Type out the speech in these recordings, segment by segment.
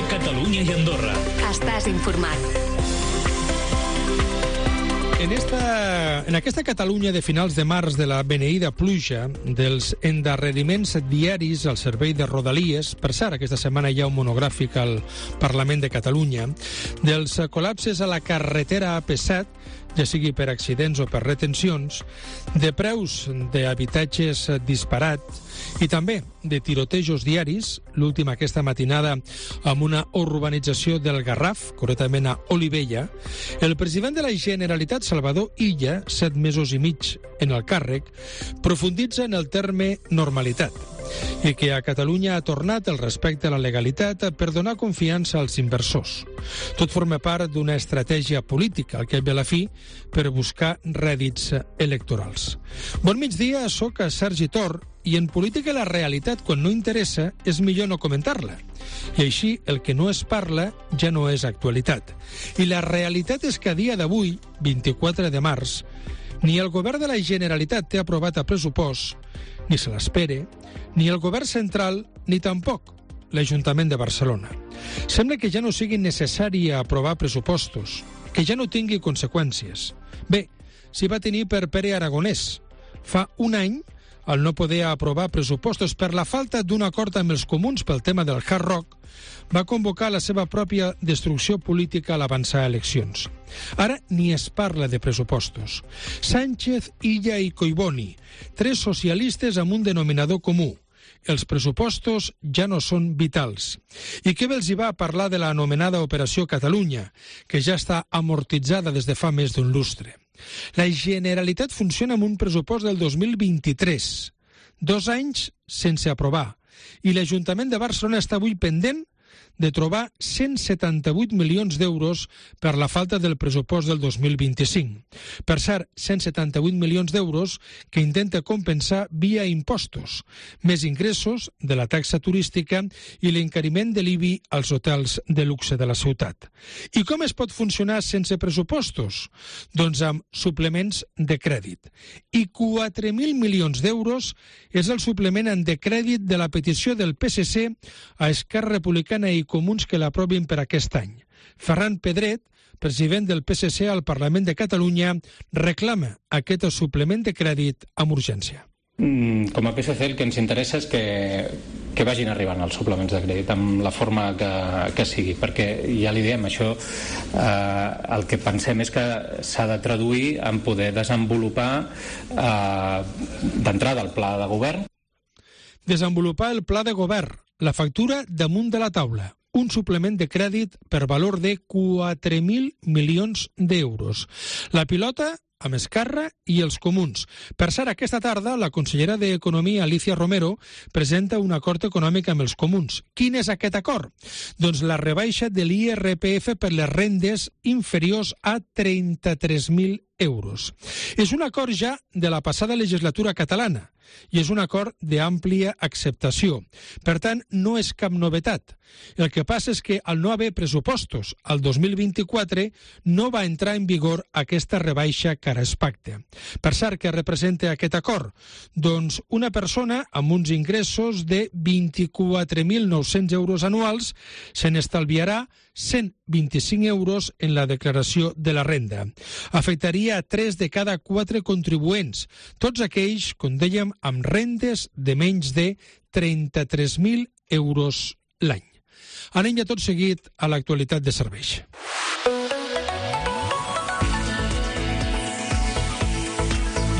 Cope Catalunya i Andorra. Estàs informat. En aquesta Catalunya de finals de març de la beneïda pluja, dels endarreriments diaris al servei de Rodalies, per cert, aquesta setmana hi ha un monogràfic al Parlament de Catalunya, dels col·lapses a la carretera AP7, ja sigui per accidents o per retencions, de preus d'habitatges disparats i també de tirotejos diaris, l'últim aquesta matinada amb una urbanització del Garraf, concretament a Olivella, el president de la Generalitat, Salvador Illa, 7 mesos i mig en el càrrec, profunditza en el terme normalitat i que a Catalunya ha tornat el respecte a la legalitat per donar confiança als inversors. Tot forma part d'una estratègia política, al cap i a la fi, per buscar rèdits electorals. Bon migdia, soc Sergi Tor, i en política la realitat, quan no interessa, és millor no comentar-la. I així, el que no es parla ja no és actualitat. I la realitat és que a dia d'avui, 24 de març, ni el govern de la Generalitat té aprovat a pressupost, ni se l'espere, ni el govern central, ni tampoc l'Ajuntament de Barcelona. Sembla que ja no sigui necessari aprovar pressupostos, que ja no tingui conseqüències. Bé, s'hi va tenir per Pere Aragonès. Fa un any, al no poder aprovar pressupostos per la falta d'un acord amb els comuns pel tema del Hard Rock, va convocar la seva pròpia destrucció política a l'avançar eleccions. Ara ni es parla de pressupostos. Sánchez, Illa i Collboni, 3 socialistes amb un denominador comú. Els pressupostos ja no són vitals. I què els hi va parlar de l'anomenada Operació Catalunya, que ja està amortitzada des de fa més d'un lustre? La Generalitat funciona amb un pressupost del 2023, 2 anys sense aprovar, i l'Ajuntament de Barcelona està avui pendent de trobar 178 milions d'euros per la falta del pressupost del 2025. Per cert, 178 milions d'euros que intenta compensar via impostos, més ingressos de la taxa turística i l'encariment de l'IBI als hotels de luxe de la ciutat. I com es pot funcionar sense pressupostos? Doncs amb suplements de crèdit. I 4.000 milions d'euros és el suplement en de crèdit de la petició del PSC a Esquerra Republicana i Comuns que l'aprovin per aquest any. Ferran Pedret, president del PSC al Parlament de Catalunya, reclama aquest suplement de crèdit amb urgència. Com a PSC el que ens interessa és que vagin arribant els suplements de crèdit amb la forma que sigui, perquè ja li diem, això el que pensem és que s'ha de traduir en poder desenvolupar d'entrada el pla de govern. Desenvolupar el pla de govern, la factura damunt de la taula, un suplement de crèdit per valor de 4.000 milions d'euros. La pilota amb Esquerra i els comuns. Per cert, aquesta tarda la consellera d'Economia, Alicia Romero, presenta un acord econòmic amb els comuns. Quin és aquest acord? Doncs la rebaixa de l'IRPF per les rendes inferiors a 33.000 euros. És un acord ja de la passada legislatura catalana i és un acord d'àmplia acceptació. Per tant, no és cap novetat. El que passa és que al no haver pressupostos al 2024 no va entrar en vigor aquesta rebaixa que ara es pacta. Per cert, què representa aquest acord? Doncs una persona amb uns ingressos de 24.900 euros anuals se n'estalviarà 125 euros en la declaració de la renda. Afectaria a 3 de cada 4 contribuents, tots aquells, com dèiem, amb rendes de menys de 33.000 euros l'any. Anem ja tot seguit a l'actualitat de serveis.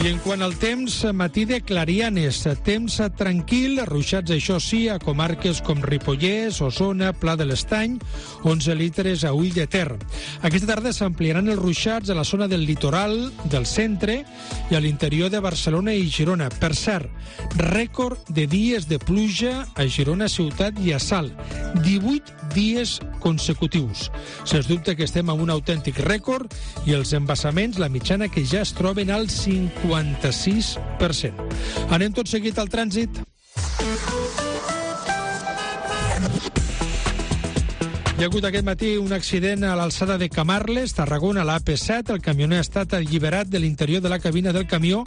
I en quant al temps, matí de clarianes, temps tranquil, ruixats això sí, a comarques com Ripollès, Osona, Pla de l'Estany, 11 litres a Ull de Ter. Aquesta tarda s'ampliaran els ruixats a la zona del litoral, del centre i a l'interior de Barcelona i Girona. Per cert, rècord de dies de pluja a Girona ciutat i a Salt, 18 dies consecutius. Sens dubte que estem amb un autèntic rècord i els embassaments, la mitjana que ja es troben al 56%. Anem tot seguit al trànsit. Hi ha hagut aquest matí un accident a l'alçada de Camarles, Tarragona, a l'AP7. El camioner ha estat alliberat de l'interior de la cabina del camió,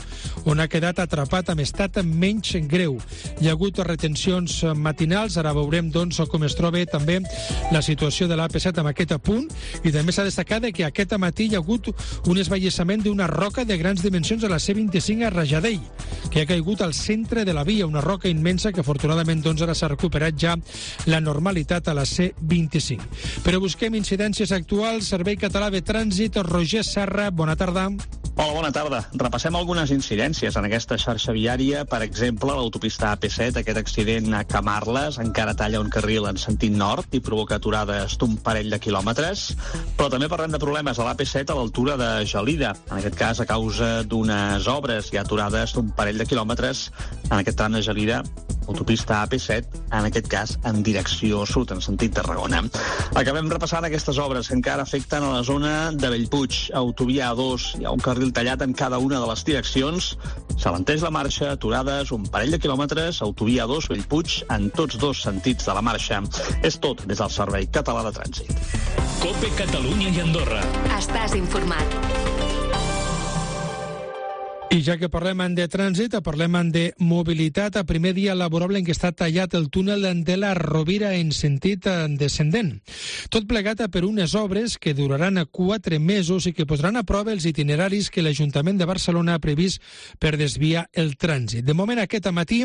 on ha quedat atrapat amb estat menys greu. Hi ha hagut retencions matinals. Ara veurem doncs, com es troba també la situació de l'AP7 amb aquest apunt. I també s'ha destacat que aquest matí hi ha hagut un esvallissament d'una roca de grans dimensions a la C25 a Rajadell, que ha caigut al centre de la via, una roca immensa que afortunadament doncs, ara s'ha recuperat ja la normalitat a la C25. Però busquem incidències actuals. Servei Català de Trànsit, Roger Serra, bona tarda. Hola, bona tarda. Repassem algunes incidències en aquesta xarxa viària. Per exemple, l'autopista AP7, aquest accident a Camarles, encara talla un carril en sentit nord i provoca aturades d'un parell de quilòmetres. Però també parlem de problemes a l'AP7 a l'altura de Gelida. En aquest cas, a causa d'unes obres, hi ha aturades d'un parell de quilòmetres en aquest tram de Gelida, autopista AP7, en aquest cas en direcció sud, en sentit Tarragona. Acabem repassant aquestes obres que encara afecten a la zona de Bellpuig, autovia A2. Hi ha un carril tallat en cada una de les direccions. S'alenteix la marxa, aturades, un parell de quilòmetres, autovia A2, Bellpuig, en tots dos sentits de la marxa. És tot des del Servei Català de Trànsit. COPE Catalunya i Andorra. Estàs informat. I ja que parlem de trànsit, parlem de mobilitat. A primer dia laborable en què està tallat el túnel de la Rovira en sentit descendent. Tot plegat per unes obres que duraran 4 mesos i que posaran a prova els itineraris que l'Ajuntament de Barcelona ha previst per desviar el trànsit. De moment, aquest matí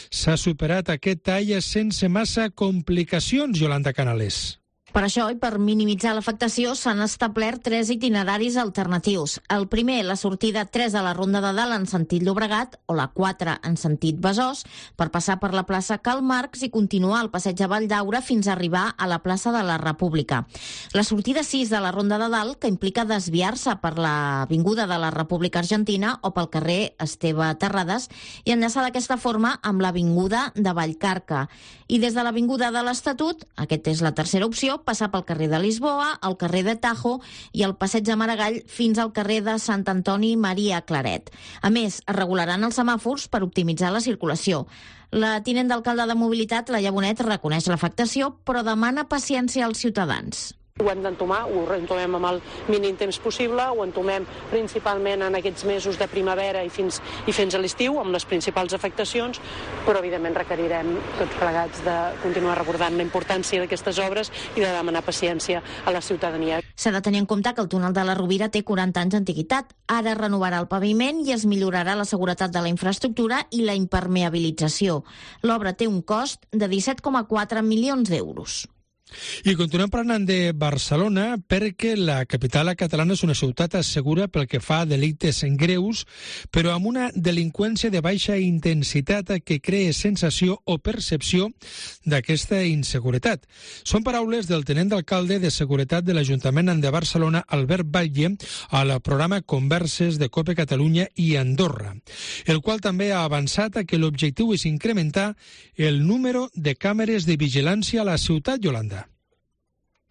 s'ha superat aquest tall sense massa complicacions, Yolanda Canales. Per això, i per minimitzar l'afectació, s'han establert 3 itineraris alternatius. El primer, la sortida 3 a la Ronda de Dalt en sentit Llobregat, o la 4 en sentit Besòs, per passar per la plaça Karl Marx i continuar el passeig de Valldaura fins a arribar a la plaça de la República. La sortida 6 de la Ronda de Dalt, que implica desviar-se per l'avinguda de la República Argentina o pel carrer Esteve Terrades i enllaçar d'aquesta forma amb l'avinguda de Vallcarca. I des de l'avinguda de l'Estatut, aquesta és la tercera opció, passar pel carrer de Lisboa, el carrer de Tajo i el passeig de Maragall fins al carrer de Sant Antoni Maria Claret. A més, es regularan els semàfors per optimitzar la circulació. La tinent d'alcalde de Mobilitat, Laia Bonet, reconeix l'afectació, però demana paciència als ciutadans. Ho hem d'entomar, ho entomem amb el mínim temps possible, ho entomem principalment en aquests mesos de primavera i fins a l'estiu, amb les principals afectacions, però evidentment requerirem tots plegats de continuar recordant la importància d'aquestes obres i de demanar paciència a la ciutadania. S'ha de tenir en compte que el túnel de la Rovira té 40 anys d'antiguitat. Ara es renovarà el paviment i es millorarà la seguretat de la infraestructura i la impermeabilització. L'obra té un cost de 17,4 milions d'euros. I continuem parlant de Barcelona perquè la capital catalana és una ciutat segura pel que fa a delictes greus, però amb una delinqüència de baixa intensitat que crea sensació o percepció d'aquesta inseguretat. Són paraules del tinent d'alcalde de Seguretat de l'Ajuntament de Barcelona, Albert Batlle, al programa Converses de COPE Catalunya i Andorra, el qual també ha avançat que l'objectiu és incrementar el número de càmeres de vigilància a la ciutat, Yolanda.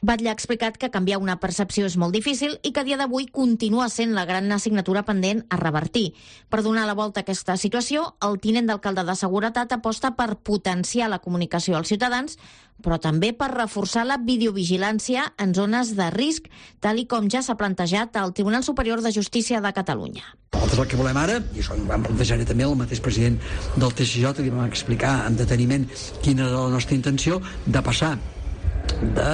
Batlle ha explicat que canviar una percepció és molt difícil i que a dia d'avui continua sent la gran assignatura pendent a revertir. Per donar la volta a aquesta situació, el tinent d'alcalde de Seguretat aposta per potenciar la comunicació als ciutadans, però també per reforçar la videovigilància en zones de risc, tal i com ja s'ha plantejat al Tribunal Superior de Justícia de Catalunya. Nosaltres el que volem ara, i això ho vam plantejar també el mateix president del TSJ, que vam explicar amb deteniment quina era la nostra intenció, de passar de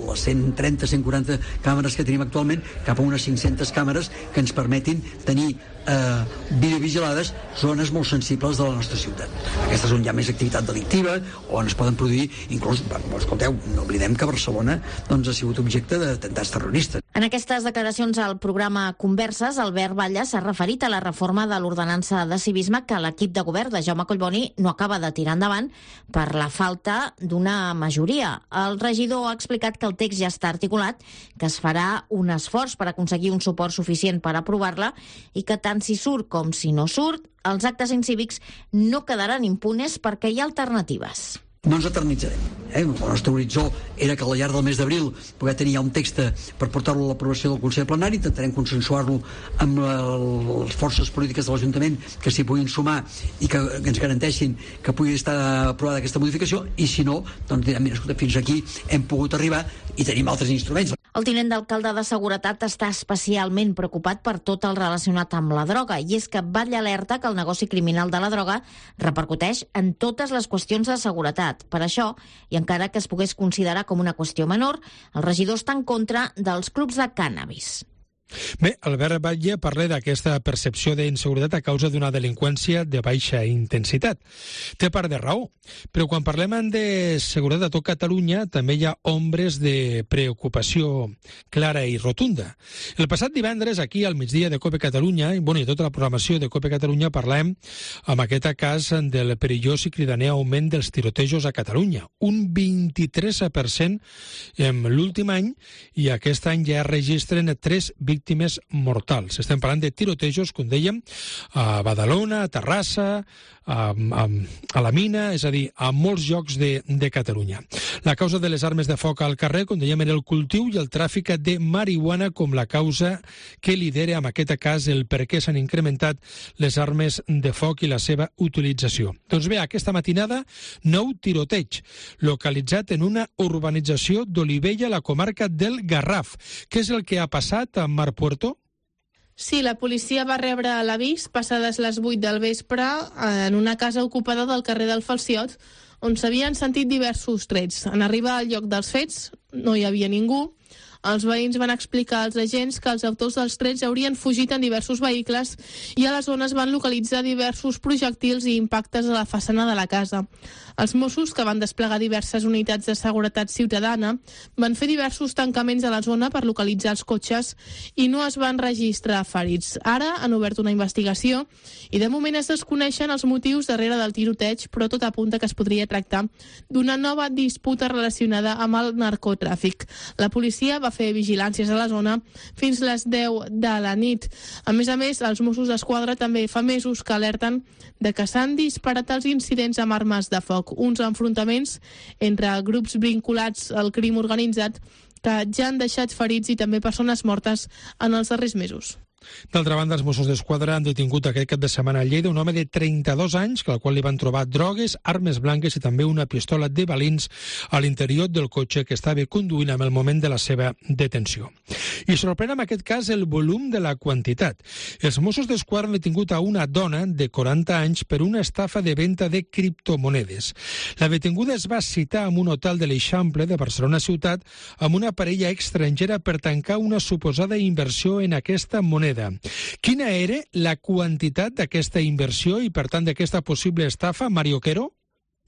les 130-140 càmeres que tenim actualment cap a unes 500 càmeres que ens permetin tenir videovigilades zones molt sensibles de la nostra ciutat. Aquesta és on hi ha més activitat delictiva, on es poden produir, inclús, escolteu, no oblidem que Barcelona doncs, ha sigut objecte d'atemptats terroristes. En aquestes declaracions al programa Converses, Albert Batlle s'ha referit a la reforma de l'ordenança de civisme que l'equip de govern de Jaume Collboni no acaba de tirar endavant per la falta d'una majoria. El regidor ha explicat que el text ja està articulat, que es farà un esforç per aconseguir un suport suficient per aprovar-la i que tant si surt com si no surt, els actes incívics no quedaran impunes perquè hi ha alternatives. No ens eternitzarem. El nostre horitzó era que al llarg del mes d'abril poder tenir ja un text per portar-lo a l'aprovació del Consell Plenari. Intentarem consensuar-lo amb les forces polítiques de l'Ajuntament que s'hi puguin sumar i que ens garanteixin que pugui estar aprovada aquesta modificació, i si no, doncs direm, mira, escolta, fins aquí hem pogut arribar i tenim altres instruments. El tinent d'alcalde de Seguretat està especialment preocupat per tot el relacionat amb la droga, i és que batlla alerta que el negoci criminal de la droga repercuteix en totes les qüestions de seguretat. Per això, i encara que es pogués considerar com una qüestió menor, el regidor està en contra dels clubs de cànnabis. Bé, Albert Batlle parla d'aquesta percepció d'inseguretat a causa d'una delinqüència de baixa intensitat. Té part de raó, però quan parlem de seguretat a tot Catalunya també hi ha ombres de preocupació clara i rotunda. El passat divendres, aquí al migdia de COPE Catalunya, i tota la programació de COPE Catalunya, parlàvem amb aquest cas del perillós i cridaner augment dels tirotejos a Catalunya. Un 23% en l'últim any, i aquest any ja registren 3 víctimes mortals. Estem parlant de tirotejos, com dèiem, a Badalona, a Terrassa, a la Mina, és a dir, a molts llocs de Catalunya. La causa de les armes de foc al carrer, com dèiem, era el cultiu i el tràfic de marihuana com la causa que lidera, en aquest cas, el per què s'han incrementat les armes de foc i la seva utilització. Doncs bé, aquesta matinada, nou tiroteig, localitzat en una urbanització d'Olivella, a la comarca del Garraf. Què és el que ha passat a Mar Puerto? Sí, la policia va rebre l'avís passades les 8 del vespre en una casa ocupada del carrer del Falciot, on s'havien sentit diversos trets. En arribar al lloc dels fets no hi havia ningú. Els veïns van explicar als agents que els autors dels trets haurien fugit en diversos vehicles i a la zona es van localitzar diversos projectils i impactes a la façana de la casa. Els Mossos, que van desplegar diverses unitats de seguretat ciutadana, van fer diversos tancaments a la zona per localitzar els cotxes i no es van registrar ferits. Ara han obert una investigació i de moment es desconeixen els motius darrere del tiroteig, però tot apunta que es podria tractar d'una nova disputa relacionada amb el narcotràfic. La policia va fer vigilàncies a la zona fins les 10 de la nit. A més, els Mossos d'Esquadra també fa mesos que alerten de que s'han disparat els incidents amb armes de foc, uns enfrontaments entre grups vinculats al crim organitzat que ja han deixat ferits i també persones mortes en els darrers mesos. D'altra banda, els Mossos d'Esquadra han detingut aquest cap de setmana a Lleida un home de 32 anys, al qual li van trobar drogues, armes blanques i també una pistola de balins a l'interior del cotxe que estava conduint en el moment de la seva detenció. I sorprèn en aquest cas el volum de la quantitat. Els Mossos d'Esquadra han detingut a una dona de 40 anys per una estafa de venda de criptomonedes. La detinguda es va citar en un hotel de l'Eixample de Barcelona ciutat amb una parella estrangera per tancar una suposada inversió en aquesta moneda. Quina era la quantitat d'aquesta inversió i, per tant, d'aquesta possible estafa, Mario Quero?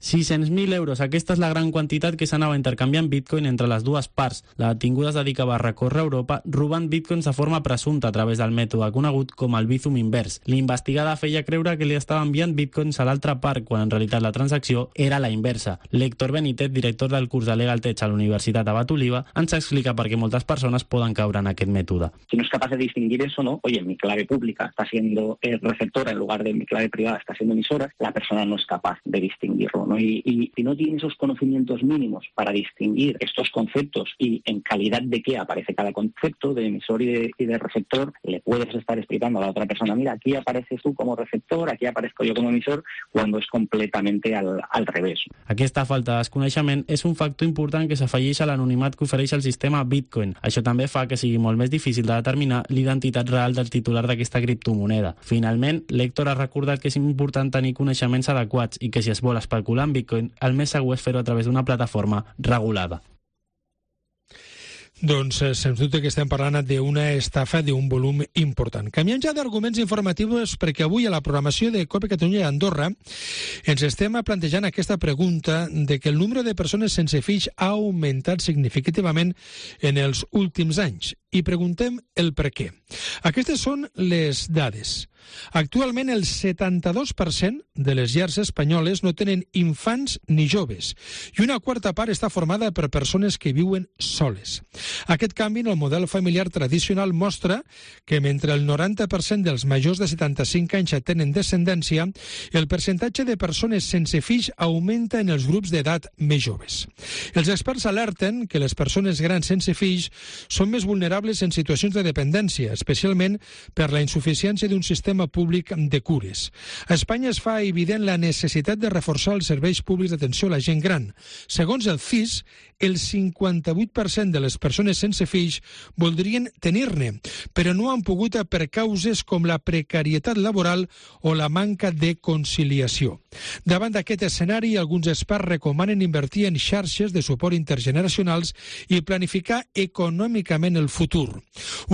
600.000 euros. Aquesta és la gran quantitat que s'anava intercanviant bitcoin entre les dues parts. La detinguda es dedicava a recórrer a Europa robant bitcoins de forma presumpta a través del mètode conegut com el Bizum invers. L'investigada feia creure que li estava enviant bitcoins a l'altra part, quan en realitat la transacció era la inversa. L'Héctor Benítez, director del curs de Legal Tech a la Universitat Abat Oliva, ens explica per què moltes persones poden caure en aquest mètode. Si no es capaz de distinguir eso, ¿no? Oye, mi clave pública está siendo receptora en lugar de mi clave privada está siendo emisora, la persona no es capaz de distinguirlo, ¿no? Y si no tiene esos conocimientos mínimos para distinguir estos conceptos y en calidad de qué aparece cada concepto de emisor y de receptor, le puedes estar explicando a la otra persona, mira, aquí apareces tú como receptor, aquí aparezco yo como emisor, cuando es completamente al revés. Aquesta falta de desconeixement és un factor important que s'afegeix a l'anonimat que ofereix el sistema Bitcoin. Això també fa que sigui molt més difícil de determinar l'identitat real del titular d'aquesta criptomoneda. Finalment, l'Héctor ha recordat que és important tenir coneixements adequats i que si es vol especular en Bitcoin, el més segur és fer-ho a través d'una plataforma regulada. Doncs, sens dubte que estem parlant d'una estafa d'un volum important. Canviem ja d'arguments informatius perquè avui a la programació de COPE Catalunya i Andorra ens estem plantejant aquesta pregunta de que el nombre de persones sense fills ha augmentat significativament en els últims anys. i preguntem el per què. Aquestes són les dades. Actualment, el 72% de les llars espanyoles no tenen infants ni joves i una quarta part està formada per persones que viuen soles. Aquest canvi en el model familiar tradicional mostra que mentre el 90% dels majors de 75 anys tenen descendència, el percentatge de persones sense fills augmenta en els grups d'edat més joves. Els experts alerten que les persones grans sense fills són més vulnerables en situacions de dependència, especialment per la insuficiència d'un sistema públic de cures. A Espanya es fa evident la necessitat de reforçar els serveis públics d'atenció a la gent gran. Segons el CIS, el 58% de les persones sense fills voldrien tenir-ne, però no han pogut per causes com la precarietat laboral o la manca de conciliació. Davant d'aquest escenari, alguns experts recomanen invertir en xarxes de suport intergeneracionals i planificar econòmicament el futur.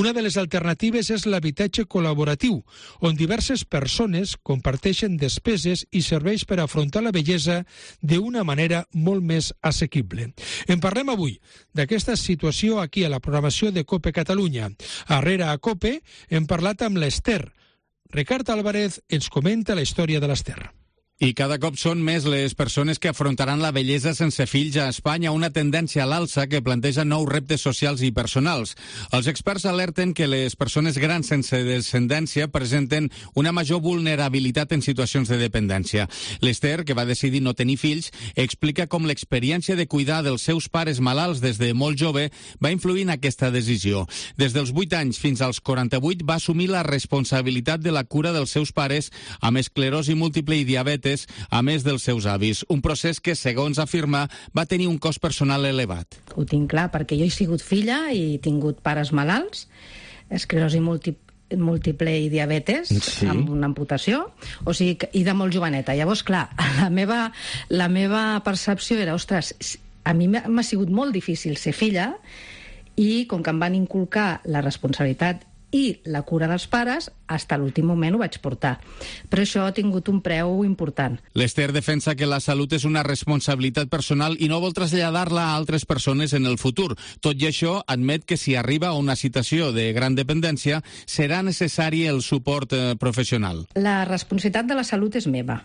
Una de les alternatives és l'habitatge col·laboratiu, on diverses persones comparteixen despeses i serveis per afrontar la vellesa d'una manera molt més assequible. En parlem avui d'aquesta situació aquí a la programació de COPE Catalunya. Arrere a COPE hem parlat amb l'Ester. Ricard Álvarez ens comenta la història de l'Ester. I cada cop són més les persones que afrontaran la vellesa sense fills a Espanya, una tendència a l'alça que planteja nous reptes socials i personals. Els experts alerten que les persones grans sense descendència presenten una major vulnerabilitat en situacions de dependència. L'Ester, que va decidir no tenir fills, explica com l'experiència de cuidar dels seus pares malalts des de molt jove va influir en aquesta decisió. Des dels 8 anys fins als 48 va assumir la responsabilitat de la cura dels seus pares amb esclerosi múltiple i diabetes, a més dels seus avis. Un procés que, segons afirma, va tenir un cost personal elevat. Ho tinc clar, perquè jo he sigut filla i he tingut pares malalts, esclerosi múltiple i diabetes, sí, amb una amputació, o sigui, i de molt joveneta. Llavors, clar, la meva percepció era, ostres, a mi m'ha sigut molt difícil ser filla i com que em van inculcar la responsabilitat i la cura dels pares, fins a l'últim moment ho vaig portar. Però això ha tingut un preu important. L'Ester defensa que la salut és una responsabilitat personal i no vol traslladar-la a altres persones en el futur. Tot i això, admet que si arriba a una situació de gran dependència, serà necessari el suport professional. La responsabilitat de la salut és meva.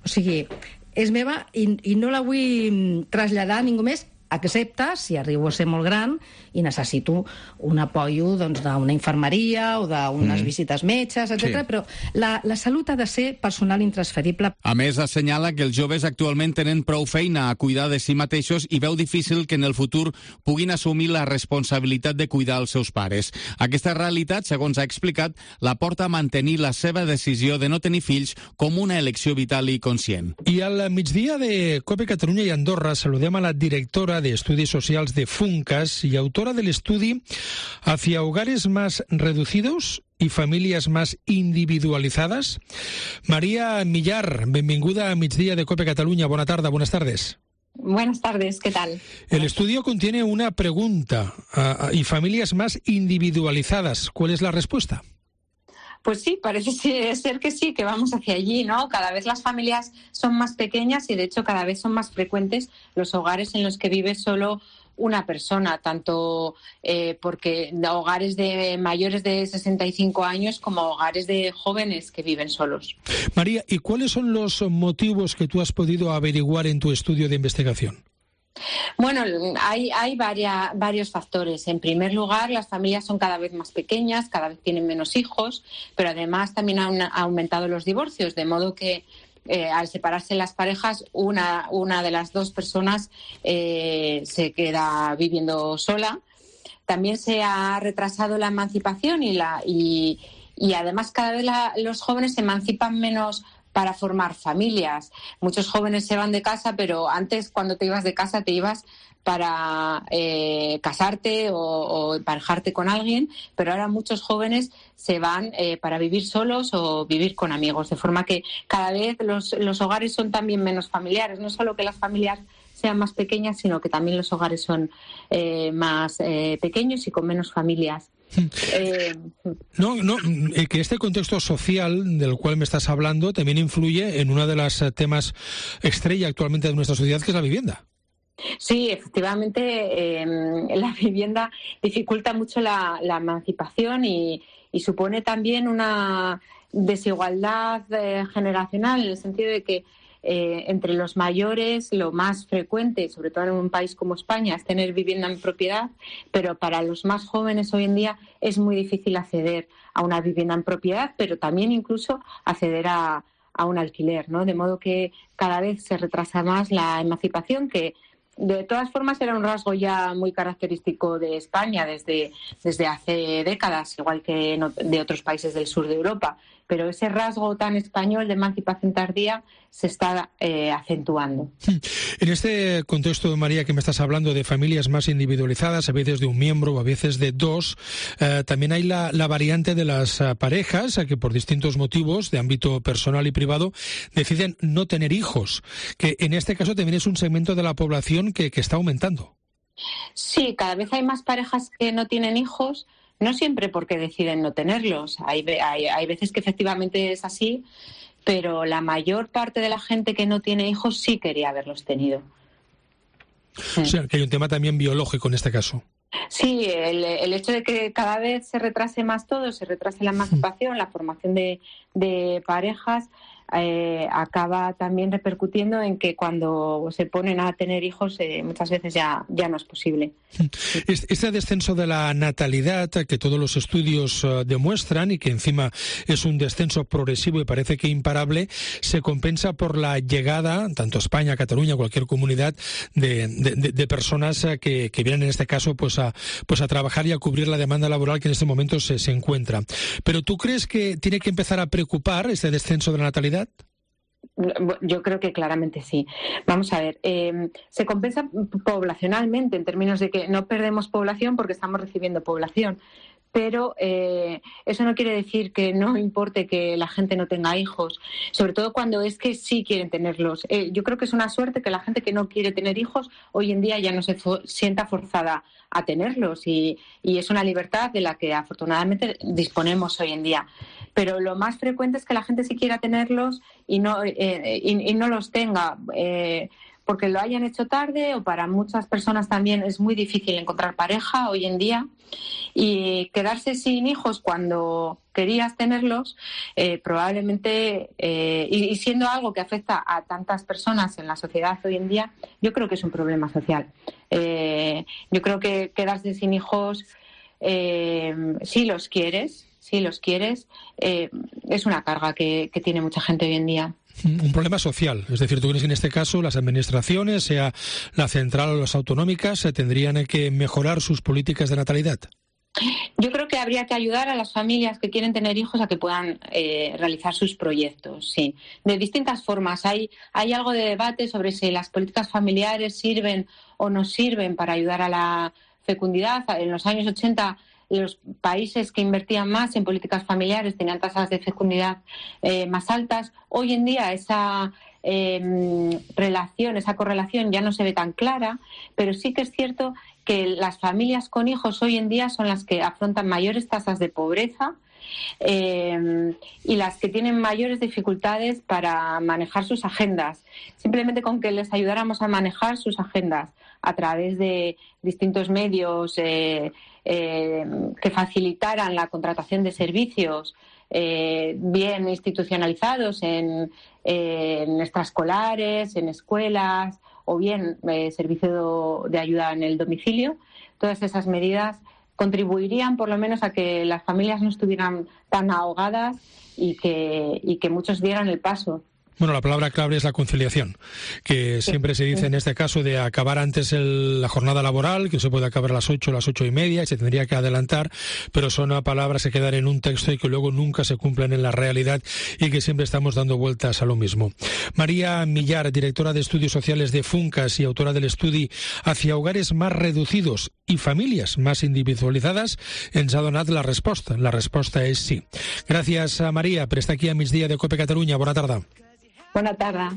O sigui, és meva i no la vull traslladar a ningú més, excepte si arribo a ser molt gran i necessito un apoyo d'una infermeria o d'unes visites metges, etc. Sí. Però la salut ha de ser personal intransferible. A més, assenyala que els joves actualment tenen prou feina a cuidar de si mateixos i veu difícil que en el futur puguin assumir la responsabilitat de cuidar els seus pares. Aquesta realitat, segons ha explicat, la porta a mantenir la seva decisió de no tenir fills com una elecció vital i conscient. I al migdia de COPE Catalunya i Andorra saludem a la directora de Estudios Socials de FUNCAS y autora del estudio Hacia hogares más reducidos y familias más individualizadas. María Millar, benvinguda a Migdia de COPE Catalunya. Buenas tardes. Buenas tardes, ¿qué tal? El estudio contiene una pregunta, ¿y familias más individualizadas? ¿Cuál es la respuesta? Pues sí, parece ser que sí, que vamos hacia allí, ¿no? Cada vez las familias son más pequeñas y de hecho cada vez son más frecuentes los hogares en los que vive solo una persona, tanto porque hogares de mayores de 65 años como hogares de jóvenes que viven solos. María, ¿y cuáles son los motivos que tú has podido averiguar en tu estudio de investigación? Bueno, hay varios factores. En primer lugar, las familias son cada vez más pequeñas, cada vez tienen menos hijos, pero además también han aumentado los divorcios, de modo que al separarse las parejas, una de las dos personas se queda viviendo sola. También se ha retrasado la emancipación y además cada vez los jóvenes se emancipan menos para formar familias. Muchos jóvenes se van de casa, pero antes, cuando te ibas de casa, te ibas para casarte o emparejarte con alguien, pero ahora muchos jóvenes se van para vivir solos o vivir con amigos, de forma que cada vez los hogares son también menos familiares. No solo que las familias sean más pequeñas, sino que también los hogares son más pequeños y con menos familias. Que este contexto social del cual me estás hablando también influye en uno de los temas estrella actualmente de nuestra sociedad, que es la vivienda. Sí, efectivamente, la vivienda dificulta mucho la emancipación y supone también una desigualdad generacional, en el sentido de que entre los mayores lo más frecuente, sobre todo en un país como España, es tener vivienda en propiedad, pero para los más jóvenes hoy en día es muy difícil acceder a una vivienda en propiedad, pero también incluso acceder a un alquiler, ¿no? De modo que cada vez se retrasa más la emancipación, que de todas formas era un rasgo ya muy característico de España desde hace décadas, igual que de otros países del sur de Europa. Pero ese rasgo tan español de emancipación tardía se está acentuando. En este contexto, María, que me estás hablando de familias más individualizadas, a veces de un miembro o a veces de dos, también hay la variante de las parejas que por distintos motivos de ámbito personal y privado deciden no tener hijos, que en este caso también es un segmento de la población que está aumentando. Sí, cada vez hay más parejas que no tienen hijos. No siempre porque deciden no tenerlos. Hay veces que efectivamente es así, pero la mayor parte de la gente que no tiene hijos sí quería haberlos tenido. O sea, que hay un tema también biológico en este caso. Sí, el hecho de que cada vez se retrase más todo, se retrase la emancipación, la formación de parejas, acaba también repercutiendo en que cuando se ponen a tener hijos muchas veces ya no es posible. Este descenso de la natalidad que todos los estudios demuestran y que encima es un descenso progresivo y parece que imparable, se compensa por la llegada, tanto a España, Cataluña, cualquier comunidad, de personas que vienen en este caso pues a trabajar y a cubrir la demanda laboral que en este momento se encuentra. Pero ¿tú crees que tiene que empezar a preocupar este descenso de la natalidad? Yo creo que claramente sí. Vamos a ver, se compensa poblacionalmente en términos de que no perdemos población porque estamos recibiendo población, pero eso no quiere decir que no importe que la gente no tenga hijos, sobre todo cuando es que sí quieren tenerlos. Yo creo que es una suerte que la gente que no quiere tener hijos hoy en día ya no se sienta forzada a tenerlos y es una libertad de la que afortunadamente disponemos hoy en día. Pero lo más frecuente es que la gente sí quiera tenerlos y no los tenga, porque lo hayan hecho tarde, o para muchas personas también es muy difícil encontrar pareja hoy en día, y quedarse sin hijos cuando querías tenerlos, probablemente, y siendo algo que afecta a tantas personas en la sociedad hoy en día, yo creo que es un problema social. Yo creo que quedarse sin hijos, si los quieres, es una carga que tiene mucha gente hoy en día. Un problema social, es decir, ¿tú crees que en este caso las administraciones, sea la central o las autonómicas, tendrían que mejorar sus políticas de natalidad? Yo creo que habría que ayudar a las familias que quieren tener hijos a que puedan realizar sus proyectos, sí, de distintas formas. Hay algo de debate sobre si las políticas familiares sirven o no sirven para ayudar a la fecundidad. En los años 80 los países que invertían más en políticas familiares tenían tasas de fecundidad más altas. Hoy en día esa correlación ya no se ve tan clara, pero sí que es cierto que las familias con hijos hoy en día son las que afrontan mayores tasas de pobreza y las que tienen mayores dificultades para manejar sus agendas. Simplemente con que les ayudáramos a manejar sus agendas a través de distintos medios que facilitaran la contratación de servicios bien institucionalizados en extraescolares, en escuelas, o bien servicio de ayuda en el domicilio, todas esas medidas contribuirían por lo menos a que las familias no estuvieran tan ahogadas y que muchos dieran el paso. Bueno, la palabra clave es la conciliación, que siempre se dice en este caso de acabar antes la jornada laboral, que se puede acabar a las 8, a las 8:30, y se tendría que adelantar, pero son palabras que quedan en un texto y que luego nunca se cumplen en la realidad y que siempre estamos dando vueltas a lo mismo. María Millar, directora de Estudios Sociales de Funcas y autora del estudi Hacia hogares más reducidos i famílies més individualitzades, ens ha donat la resposta. La resposta és sí. Gràcies, Maria, per estar aquí a Migdia de COPE Catalunya. Bona tarda. Bona tarda.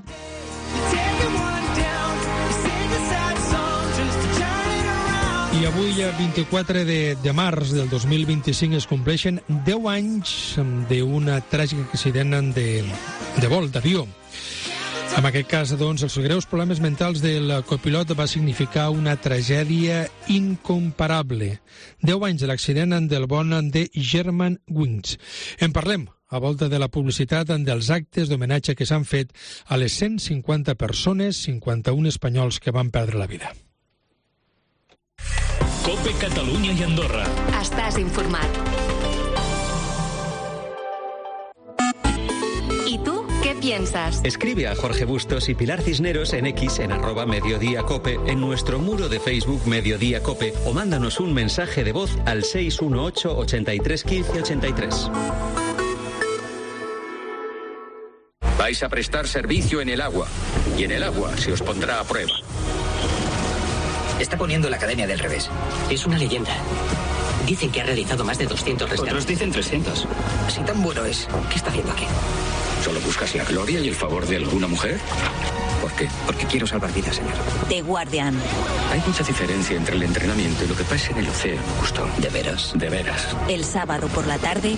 I avui, 24 de març del 2025, es compleixen 10 anys d'un tràgic accident de vol, d'avió. En aquest cas, doncs, els greus problemes mentals del copilot va significar una tragèdia incomparable. 10 anys de l'accident del vol de Germanwings. En parlem a volta de la publicitat dels actes d'homenatge que s'han fet a les 150 persones, 51 espanyols que van perdre la vida. COPE Catalunya i Andorra. Estàs informat. ¿Y tú qué piensas? Escribe a Jorge Bustos y Pilar Cisneros en X en @mediodíacope, en nuestro muro de Facebook Mediodía Cope, o mándanos un mensaje de voz al 618 83 15 83. Vais a prestar servicio en el agua, y en el agua se os pondrá a prueba. Está poniendo la Academia del Revés. Es una leyenda. Dicen que ha realizado más de 200 rescates. Otros dicen 300. Si tan bueno es, ¿qué está haciendo aquí? ¿Solo buscas la gloria y el favor de alguna mujer? ¿Por qué? Porque quiero salvar vidas, señor. The Guardian. Hay mucha diferencia entre el entrenamiento y lo que pasa en el océano, justo. ¿De veras? De veras. El sábado por la tarde,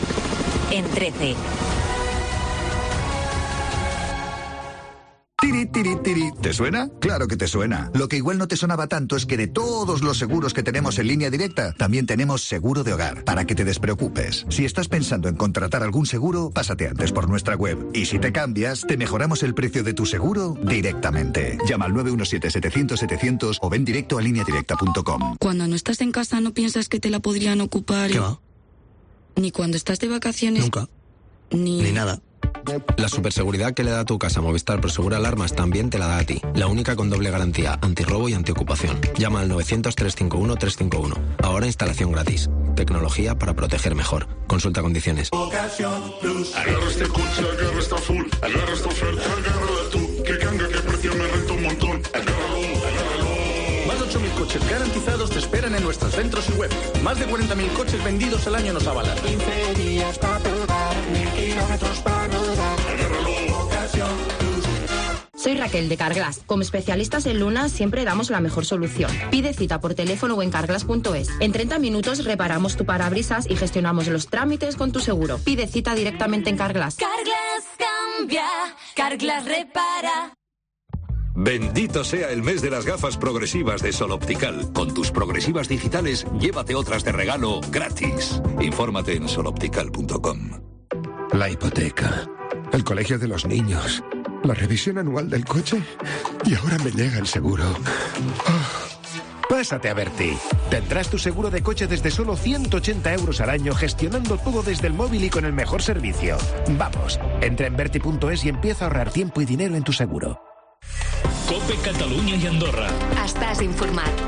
en 13. Tiri, tiri, tiri. ¿Te suena? Claro que te suena. Lo que igual no te sonaba tanto es que de todos los seguros que tenemos en Línea Directa, también tenemos seguro de hogar, para que te despreocupes. Si estás pensando en contratar algún seguro, pásate antes por nuestra web. Y si te cambias, te mejoramos el precio de tu seguro directamente. Llama al 917-700-700 o ven directo a lineadirecta.com. Cuando no estás en casa, ¿no piensas que te la podrían ocupar? ¿Qué va? Ni cuando estás de vacaciones. Nunca. Ni nada. La superseguridad que le da a tu casa Movistar Prosegur Alarmas también te la da a ti. La única con doble garantía, antirrobo y antiocupación. Llama al 900-351-351. Ahora instalación gratis. Tecnología para proteger mejor. Consulta condiciones. Agarra este coche, agarra esta full, agarra esta oferta, agárrala tú. Que canga, que precio me renta un montón. Agárralo. Más de 8.000 coches garantizados te esperan en nuestros centros y web. Más de 40.000 coches vendidos al año nos avalan. 15 días para probar, 1.000 kilómetros para rodar. Agárralo. Soy Raquel de Carglass. Como especialistas en Luna siempre damos la mejor solución. Pide cita por teléfono o en carglass.es. En 30 minutos reparamos tu parabrisas y gestionamos los trámites con tu seguro. Pide cita directamente en Carglass. Carglass cambia, Carglass repara. Bendito sea el mes de las gafas progresivas de Sol Optical. Con tus progresivas digitales, llévate otras de regalo gratis. Infórmate en soloptical.com. La hipoteca, el colegio de los niños, la revisión anual del coche y ahora me llega el seguro. Pásate a Berti. Tendrás tu seguro de coche desde solo 180 euros al año, gestionando todo desde el móvil y con el mejor servicio. Vamos, entra en Berti.es y empieza a ahorrar tiempo y dinero en tu seguro. COPE Catalunya i Andorra. Estàs informat.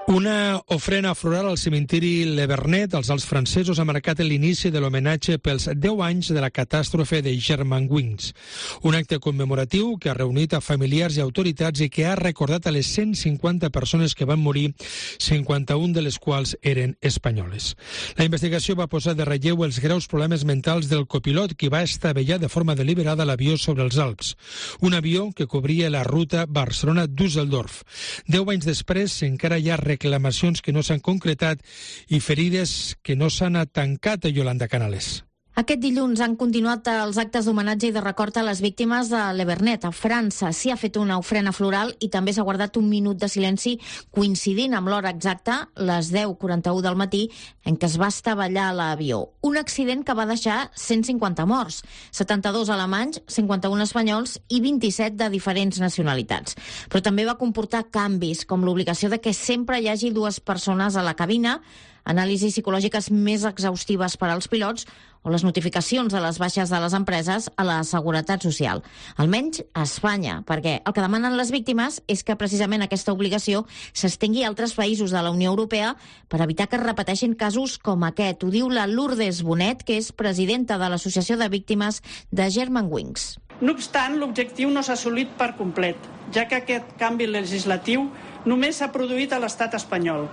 Una ofrena floral al cementiri Le Vernet als Alts francesos ha marcat l'inici de l'homenatge pels 10 anys de la catàstrofe de Germanwings. Un acte commemoratiu que ha reunit a familiars i autoritats i que ha recordat a les 150 persones que van morir, 51 de les quals eren espanyoles. La investigació va posar de relleu els greus problemes mentals del copilot que va estavellar de forma deliberada l'avió sobre els Alps. Un avió que cobria la ruta Barcelona-Düsseldorf. 10 anys després encara hi ha reclamacions que no s'han concretat i ferides que no s'han tancat a Yolanda Canales. Aquest dilluns han continuat els actes d'homenatge i de record a les víctimes de Le Vernet. A França s'hi ha fet una ofrena floral i també s'ha guardat un minut de silenci coincidint amb l'hora exacta, les 10:41 del matí, en què es va estavellar l'avió. Un accident que va deixar 150 morts, 72 alemanys, 51 espanyols i 27 de diferents nacionalitats. Però també va comportar canvis, com l'obligació de que sempre hi hagi 2 persones a la cabina, anàlisis psicològiques més exhaustives per als pilots o les notificacions de les baixes de les empreses a la Seguretat Social. Almenys a Espanya, perquè el que demanen les víctimes és que precisament aquesta obligació s'estengui a altres països de la Unió Europea per evitar que es repeteixin casos com aquest. Ho diu la Lourdes Bonet, que és presidenta de l'Associació de Víctimes de Germanwings. No obstant, l'objectiu no s'ha assolit per complet, ja que aquest canvi legislatiu només s'ha produït a l'estat espanyol.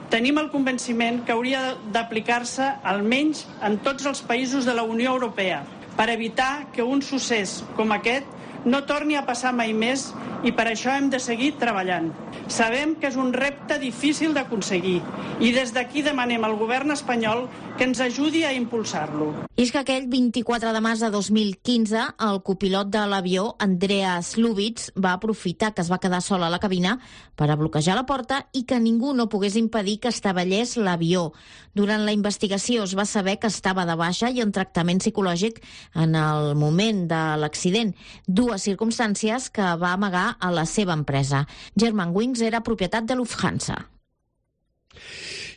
Tenim el convenciment que hauria d'aplicar-se almenys en tots els països de la Unió Europea per evitar que un succés com aquest no torni a passar mai més i per això hem de seguir treballant. Sabem que és un repte difícil d'aconseguir i des d'aquí demanem al govern espanyol que ens ajudi a impulsar-lo. I és que aquell 24 de març de 2015 el copilot de l'avió, Andreas Lubitz, va aprofitar que es va quedar sol a la cabina per a bloquejar la porta i que ningú no pogués impedir que estavellés l'avió. Durant la investigació es va saber que estava de baixa i en tractament psicològic en el moment de l'accident, dues circumstàncies que va amagar a la seva empresa. Germanwings era propietat de Lufthansa.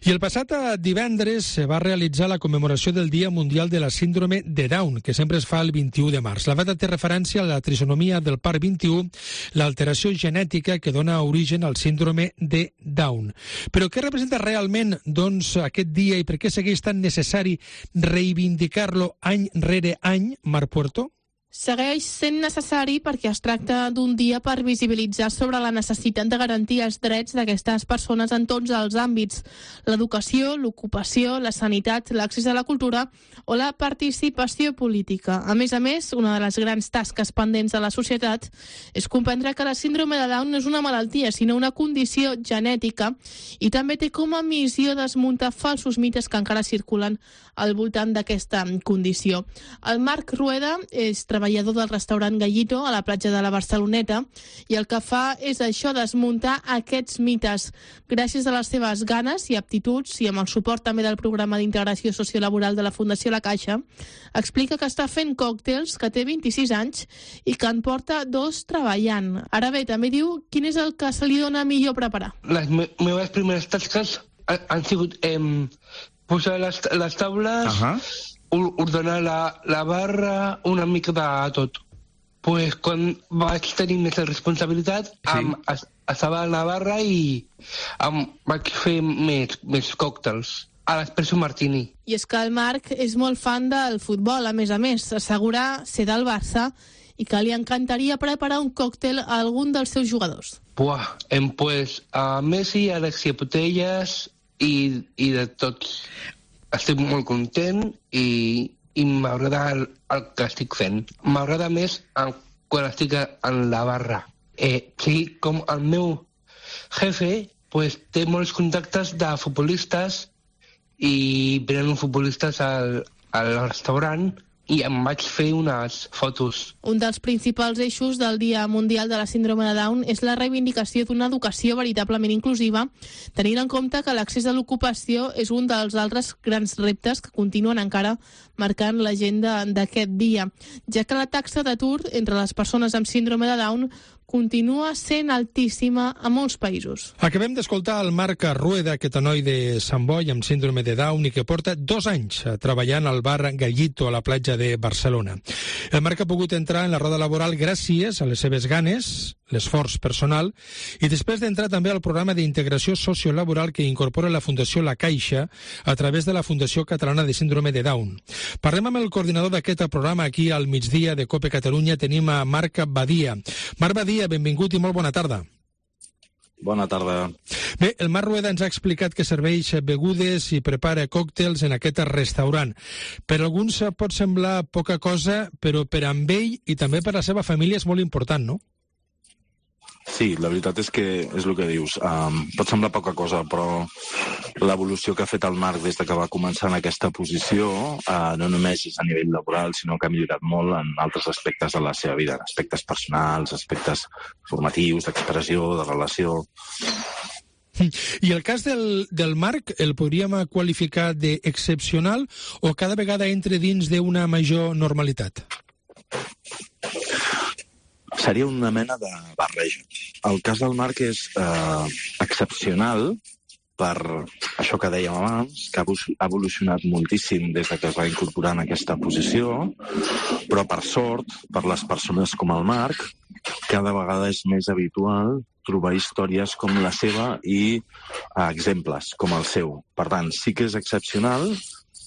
I el passat divendres se va realitzar la commemoració del Dia Mundial de la Síndrome de Down, que sempre es fa el 21 de març. La data té referència a la trisonomia del part 21, l'alteració genètica que dona origen al síndrome de Down. Però què representa realment, doncs, aquest dia i per què segueix tan necessari reivindicar-lo any rere any, Mar Puerto? Segueix sent necessari perquè es tracta d'un dia per visibilitzar sobre la necessitat de garantir els drets d'aquestes persones en tots els àmbits: l'educació, l'ocupació, la sanitat, l'accés a la cultura o la participació política. A més, una de les grans tasques pendents de la societat és comprendre que la síndrome de Down no és una malaltia, sinó una condició genètica, i també té com a missió desmuntar falsos mites que encara circulen al voltant d'aquesta condició. El Marc Rueda és treballador del restaurant Gallito a la platja de la Barceloneta i el que fa és això, desmuntar aquests mites. Gràcies a les seves ganes i aptituds i amb el suport també del programa d'integració sociolaboral de la Fundació La Caixa, explica que està fent còctels, que té 26 anys i que en porta 2 treballant. Ara bé, també diu quin és el que se li dona millor preparar. Les meves primeres tasques han sigut posar les taules, ordenar la barra, una mica de tot. Pues quan vaig tenir més responsabilitat, estava a la barra i vaig fer més còctels a l'Espresso Martini. I és que el Marc és molt fan del futbol, a més. Assegura ser del Barça i que li encantaria preparar un còctel a algun dels seus jugadors. Pues a Messi, a Alexia Putellas i de tots. Estic molt content i m'agrada el que estic fent. M'agrada més quan estic en la barra. Sí, com el meu jefe té molts contactes de futbolistes i venen futbolistes al restaurant i em vaig fer unes fotos. Un dels principals eixos del Dia Mundial de la Síndrome de Down és la reivindicació d'una educació veritablement inclusiva, tenint en compte que l'accés a l'ocupació és un dels altres grans reptes que continuen encara marcant l'agenda d'aquest dia, ja que la taxa d'atur entre les persones amb síndrome de Down continua sent altíssima a molts països. Acabem d'escoltar el Marc Rueda, aquest noi de Sant Boi amb síndrome de Down i que porta 2 anys treballant al bar Gallito a la platja de Barcelona. El Marc ha pogut entrar en la roda laboral gràcies a les seves ganes, l'esforç personal i després d'entrar també al programa d'integració sociolaboral que incorpora la Fundació La Caixa a través de la Fundació Catalana de Síndrome de Down. Parlem amb el coordinador d'aquest programa aquí al migdia de COPE Catalunya. Tenim a Marc Badia. Marc Badia, benvingut i molt bona tarda. Bona tarda. Bé, el Marc Rueda ens ha explicat que serveix begudes i prepara còctels en aquest restaurant. Per alguns pot semblar poca cosa, però per a ell i també per a la seva família és molt important, no? Sí, la veritat és que és el que dius. Pot semblar poca cosa, però l'evolució que ha fet el Marc des que va començar en aquesta posició no només és a nivell laboral, sinó que ha millorat molt en altres aspectes de la seva vida, aspectes personals, aspectes formatius, d'expressió, de relació. I el cas del Marc el podríem qualificar d'excepcional o cada vegada entra dins d'una major normalitat? Seria una mena de barreja. El cas del Marc és excepcional per això que dèiem abans, que ha evolucionat moltíssim des que es va incorporar en aquesta posició, però per sort, per les persones com el Marc, cada vegada és més habitual trobar històries com la seva i exemples com el seu. Per tant, sí que és excepcional,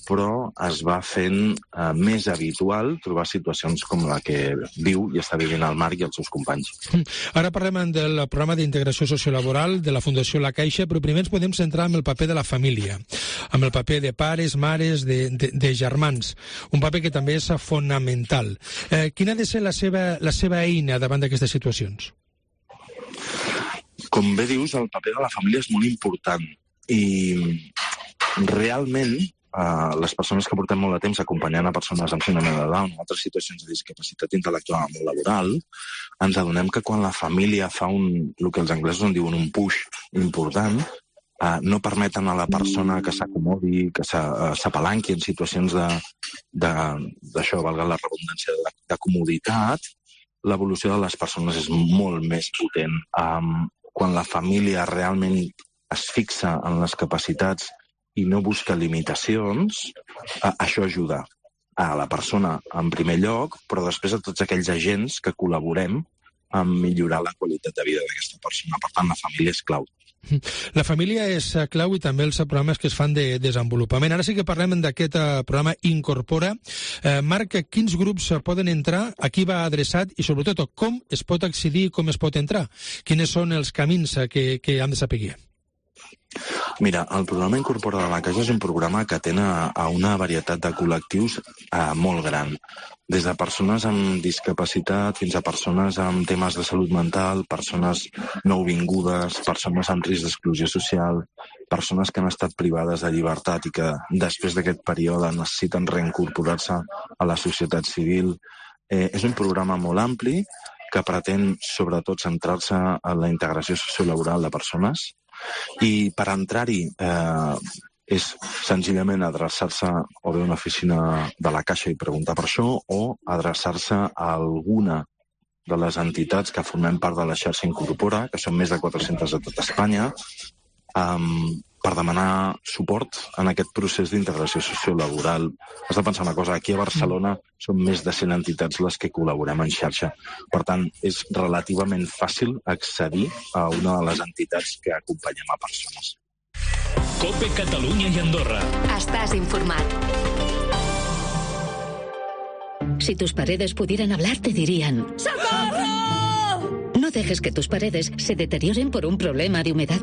però es va fent més habitual trobar situacions com la que viu i està vivint el Marc i els seus companys. Ara parlem del programa d'integració sociolaboral de la Fundació La Caixa, però primer ens podem centrar en el paper de la família, amb el paper de pares, mares, de germans, un paper que també és fonamental. Quina ha de ser la seva eina davant d'aquestes situacions? Com bé dius, el paper de la família és molt important i realment les persones que portem molt de temps acompanyant a persones amb síndrome de Down o altres situacions de discapacitat intel·lectual o laboral, ens adonem que quan la família fa el que els anglesos en diuen un push important, no permeten a la persona que s'acomodi, que s'apalanqui en situacions d'això, valga la redundància, de comoditat, l'evolució de les persones és molt més potent. Quan la família realment es fixa en les capacitats i no busca limitacions, això ajuda a la persona en primer lloc, però després a tots aquells agents que col·laborem en millorar la qualitat de vida d'aquesta persona. Per tant, la família és clau. La família és clau i també els programes que es fan de desenvolupament. Ara sí que parlem d'aquest programa Incorpora. Marc, quins grups poden entrar, a qui va adreçat i sobretot com es pot accedir i com es pot entrar? Quins són els camins que han de saber? Mira, el programa Incorpora de la Caixa és un programa que atén a una varietat de col·lectius molt gran. Des de persones amb discapacitat fins a persones amb temes de salut mental, persones nouvingudes, persones amb risc d'exclusió social, persones que han estat privades de llibertat i que després d'aquest període necessiten reincorporar-se a la societat civil. És un programa molt ampli que pretén sobretot centrar-se en la integració sociolaboral de persones i per entrar-hi és senzillament adreçar-se o bé a una oficina de la Caixa i preguntar per això o adreçar-se a alguna de les entitats que formem part de la xarxa Incorpora, que són més de 400 a tot Espanya, per demanar suport en aquest procés d'integració sociolaboral. Has de pensar una cosa, aquí a Barcelona són més de 100 entitats les que col·laborem en xarxa. Per tant, és relativament fàcil accedir a una de les entitats que acompanyem a persones. COPE Catalunya i Andorra. Estás informat. Si tus paredes pudieran hablar, te dirían: ¡Socorro! No dejes que tus paredes se deterioren por un problema de humedad.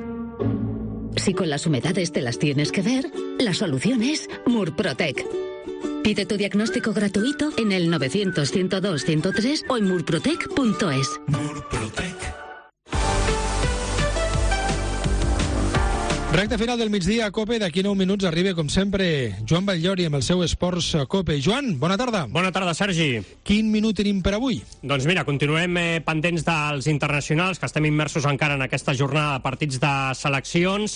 Si con las humedades te las tienes que ver, la solución es Murprotec. Pide tu diagnóstico gratuito en el 900-102-103 o en murprotec.es. Murprotec. Recte final del migdia a COPE. D'aquí 9 minuts arriba, com sempre, Joan Batllori amb el seu Esports COPE. Joan, bona tarda. Bona tarda, Sergi. Quin minut tenim per avui? Doncs mira, continuem pendents dels internacionals, que estem immersos encara en aquesta jornada de partits de seleccions.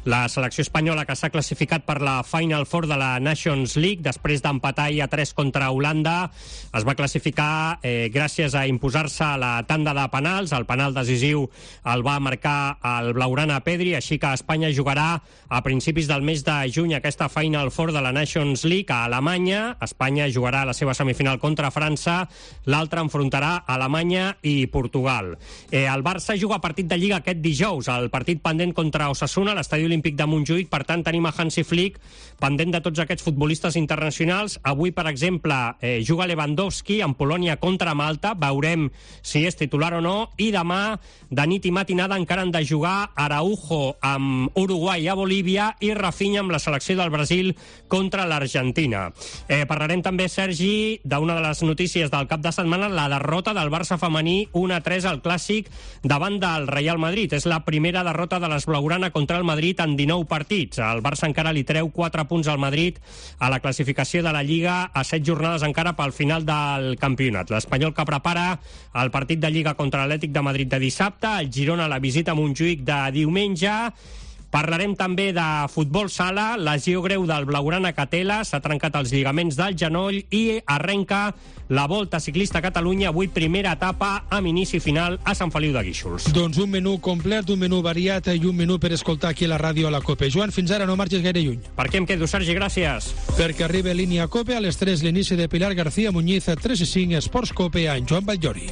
La selecció espanyola que s'ha classificat per la Final Four de la Nations League, després d'empatar a 3 contra Holanda, es va classificar gràcies a imposar-se a la tanda de penals. El penal decisiu el va marcar el blaugrana Pedri, així que Espanya jugarà a principis del mes de juny aquesta Final Four de la Nations League a Alemanya. Espanya jugarà la seva semifinal contra França, l'altra enfrontarà Alemanya i Portugal. El Barça juga partit de Lliga aquest dijous, el partit pendent contra Osasuna a l'Estadi Olímpic de Montjuïc. Per tant, tenim a Hansi Flick pendent de tots aquests futbolistes internacionals. Avui, per exemple, juga Lewandowski en Polònia contra Malta, veurem si és titular o no, i demà, de nit i matinada, encara han de jugar Araujo amb Uruguai a Bolívia i Rafinha amb la selecció del Brasil contra l'Argentina. Parlarem també, Sergi, d'una de les notícies del cap de setmana, la derrota del Barça femení 1-3 al Clàssic davant del Real Madrid. És la primera derrota de les blaugrana contra el Madrid en 19 partits. El Barça encara li treu 4 punts al Madrid a la classificació de la Lliga, a 7 jornades encara pel final del campionat. L'Espanyol que prepara el partit de Lliga contra l'Atlètic de Madrid de dissabte, el Girona la visita a Montjuïc de diumenge. Parlarem també de futbol sala, lesió greu del blaugrana Catela, s'ha trencat els lligaments del genoll i arrenca la Volta Ciclista a Catalunya, avui primera etapa amb inici final a Sant Feliu de Guíxols. Doncs un menú complet, un menú variat i un menú per escoltar aquí a la ràdio a la COPE. Joan, fins ara no marxis gaire lluny. Per què em quedo, Sergi? Gràcies. Perquè arriba línia COPE a les 3, l'inici de Pilar García Muñiz, 3 i 5, Esports COPE, en Joan Batllori.